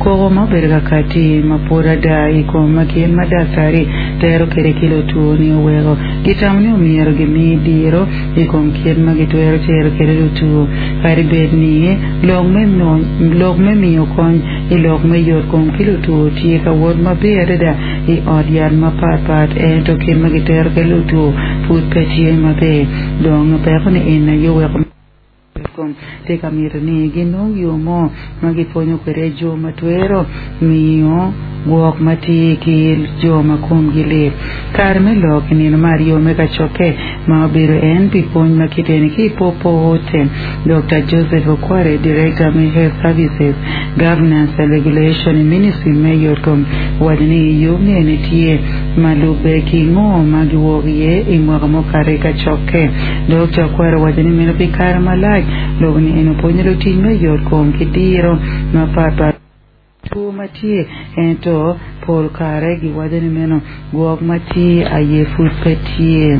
Koko ma obedo ka katti ma pwod ada i kom kit ma daktari tero kwede ki lutwo-ni oweko gitamo ni omyero gimi diro i kom kit ma gitwero cero kwede lutwo. Kadi bed ni lok me miyo kony i lok me yotkom ki lutwo tye ka wot maber adada i ot yat mapatpat, ento kit ma gitero kwede lutwo pud pe tye maber. Dong peko-ni en aye oweko yotkom tye ka mito ni ginong yo mo ma gipwonyo kwede jo ma twero miyo gwok ma tye ki jo ma komgi lit. Kare me lok i nino me aryo me kacokke ma obedo en pi pwony ma kiteni ki i Popo Hotel, Dokta Joseph Okware, Director me Health Services, Governance and Regulation i Ministry me Yotkom owaco ni yub ni eni tye ma lubbe ki ngo ma giwok iye i mwaka mukato i kacokke. Dokta Okware owaco ni meno pi kare malac lobo ni eni opwonyo lutic me yotkom ki diro mapatpat. Two ma tye, ento pol kare giwaco ni meno gwok ma tye aye pud pe tye.